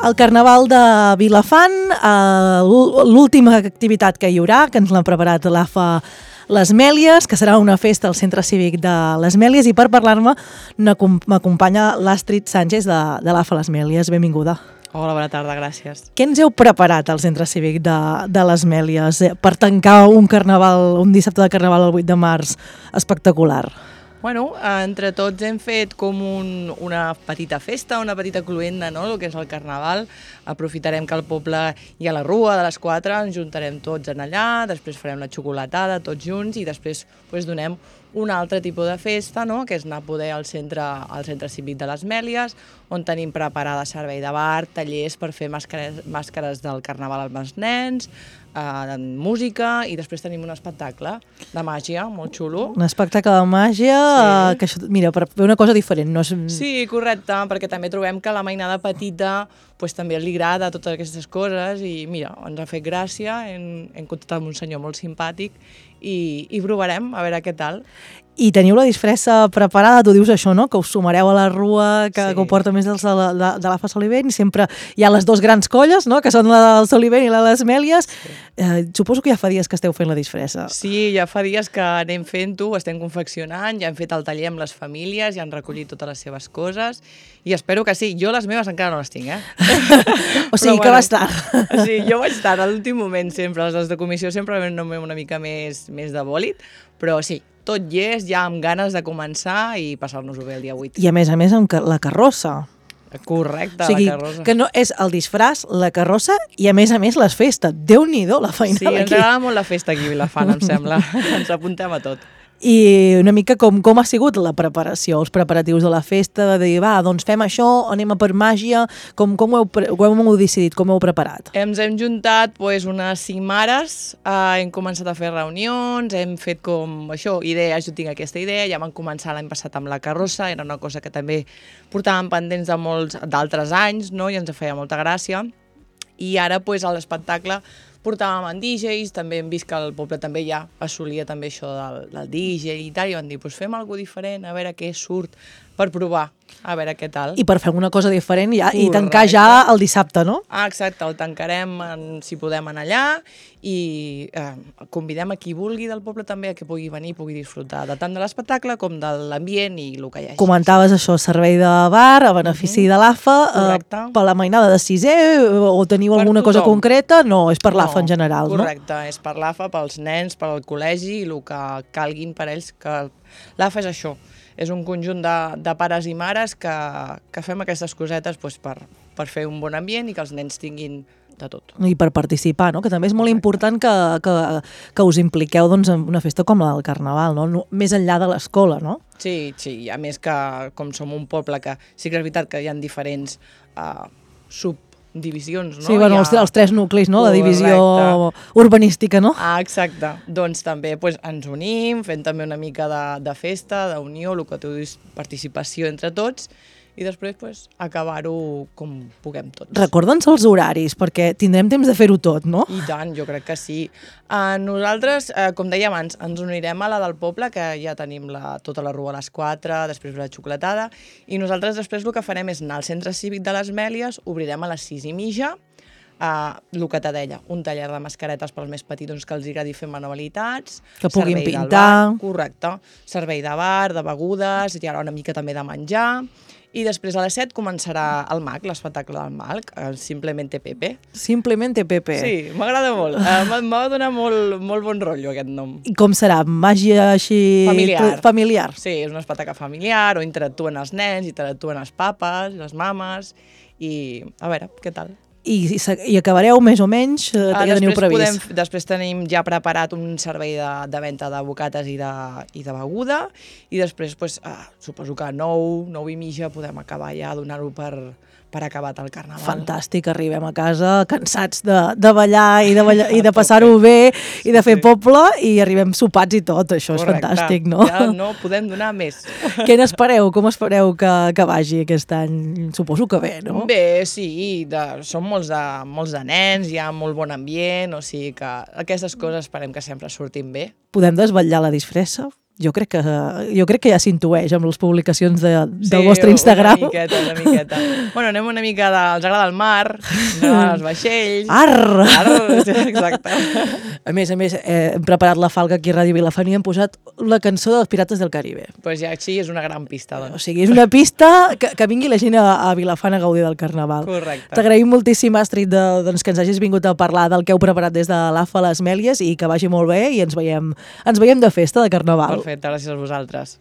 El Carnaval de Vilafant, l'última activitat que hi haurà, que ens l'ha preparat l'AFA Les Mèlies, que serà una festa al Centre Cívic de Les Mèlies, i per parlar-me m'acompanya l'Astrid Sánchez de l'AFA Les Mèlies. Benvinguda. Hola, bona tarda, gràcies. Què ens heu preparat al Centre Cívic de Les Mèlies per tancar un dissabte de Carnaval el 8 de març espectacular? Bueno, entre tots hem fet com una petita festa, una petita cluenda, no?, el que és el Carnaval. Aprofitarem que al poble hi ha la rua de les 4, ens juntarem tots en allà, després farem la xocolatada tots junts i després donem un altre tipus de festa, no?, que és anar a poder al centre cívic de les Mèlies, on tenim preparada servei de bar, tallers per fer màscares del Carnaval amb els nens, música, i després tenim un espectacle de màgia molt xulo. Un espectacle de màgia, sí. Que això, mira, per fer una cosa diferent. No és... Sí, correcte, perquè també trobem que la mainada petita també li agrada totes aquestes coses i mira, ens ha fet gràcia, hem contactat amb un senyor molt simpàtic i provarem a veure què tal. I teniu la disfressa preparada, tu dius això, no?, que us sumareu a la rua, que ho porta més de l'AFA Solivent, i sempre hi ha les dues grans colles, no?, que són la del Solivent i la de les Mèlies. Sí. Suposo que ja fa dies que esteu fent la disfressa. Sí, ja fa dies que anem fent-ho, estem confeccionant, ja hem fet el taller amb les famílies, ja han recollit totes les seves coses, i espero que sí. Jo les meves encara no les tinc, O sigui, que vas tard. Sí, jo vaig tard, a l'últim moment sempre. Les de comissió sempre anem una mica més de bòlit, però sí, tot llest, ja amb ganes de començar i passar-nos-ho bé el dia 8. I a més, amb la carrossa. Correcte, o sigui, la carrossa. Que no és el disfraç, la carrossa i a més les festes. Déu-n'hi-do, la feinada aquí. Sí, ens agrada molt la festa aquí a Vilafant, em sembla. Ens apuntem a tot. I una mica com ha sigut la preparació, els preparatius de la festa, de dir, doncs fem això, anem a per màgia, com ho heu decidit, com ho heu preparat? Ens hem juntat unes 5 mares, hem començat a fer reunions, hem fet com això, idees, jo tinc aquesta idea, ja vam començar l'any passat amb la carrossa, era una cosa que també portàvem pendents de molts d'altres anys, no?, i ens feia molta gràcia, i ara a l'espectacle portàvem en DJs, també hem vist que el poble també ja assolia també això del DJ i tal, i vam dir, fem alguna cosa diferent, a veure què surt, per provar, a veure què tal. I per fer una cosa diferent i tancar ja el dissabte, no? Exacte, el tancarem, si podem, anar allà, i convidem a qui vulgui del poble també a que pugui venir, pugui disfrutar de tant de l'espectacle com de l'ambient i el que hi hagi. Comentaves això, servei de bar, a benefici de l'AFA, per la mainada de sisè, o teniu alguna cosa concreta? No, és per l'AFA en general, no? Correcte, és per l'AFA, pels nens, per al col·legi, i el que calguin per ells, que l'AFA és això, és un conjunt de pares i mares que fem aquestes cosetes per fer un bon ambient i que els nens tinguin de tot. I per participar, no?, que també és molt important que us impliqueu en una festa com la del Carnaval, no?, més enllà de l'escola, no? Sí, a més que com som un poble que sí que és veritat que hi ha diferents subdivisions, no? Sí, els 3 nuclis, no?, la divisió urbanística, no? Exacte. Doncs també ens unim, fem també una mica de festa, d'unió, el que tu dius, participació entre tots, i després acabar-ho com puguem tots. Recorda'ns els horaris, perquè tindrem temps de fer-ho tot, no? I tant, jo crec que sí. Nosaltres, com deia abans, ens unirem a la del poble, que ja tenim tota la rua a les 4, després la xocolatada, i nosaltres després el que farem és anar al Centre Cívic de les Mèlies, obrirem a les 6:30, el que te deia, un taller de mascaretes pels més petits que els agradi fer manualitats, que puguin pintar. Correcte, servei de bar, de begudes, hi haurà una mica també de menjar, i després a les 7 començarà el MAC, l'espectacle del MAC, Simplemente Pepe. Simplemente Pepe. Sí, m'agrada molt. M'ha donat molt bon rotllo aquest nom. I com serà? Màgia així... Familiar. Sí, és un espectacle familiar, on interactuen els nens, interactuen els papes, les mames, i a veure, què tal? I acabareu més o menys, ja teniu previst? Després tenim ja preparat un servei de venda de bocates i de beguda, i després suposo que a 9:30 podem acabar ja a donar-ho per acabat el Carnaval. Fantàstic, arribem a casa cansats de ballar i de passar-ho bé i de fer poble, i arribem sopats i tot, això és fantàstic, no? Ja no podem donar més. Què n'espereu? Com espereu que vagi aquest any? Suposo que bé, no? Bé, sí, som molts de nens, hi ha molt bon ambient, o sigui que aquestes coses esperem que sempre surtin bé. Podem desvetllar la disfressa? Jo crec que ja s'intueix amb les publicacions del vostre Instagram. Una miqueta. Bueno, anem una mica els agrada el mar, els vaixells... Arr! Exacte. A més, hem preparat la falca aquí a Ràdio Vilafant i hem posat la cançó dels Pirates del Caribe. Pues ja, sí, és una gran pista, doncs. O sigui, és una pista que vingui la gent a Vilafant a gaudir del Carnaval. Correcte. T'agraïm moltíssim, Astrid, doncs, que ens hagis vingut a parlar del que heu preparat des de l'AFA Les Mèlies i que vagi molt bé i ens veiem de festa, de Carnaval. Perfecte, gràcies a vosaltres.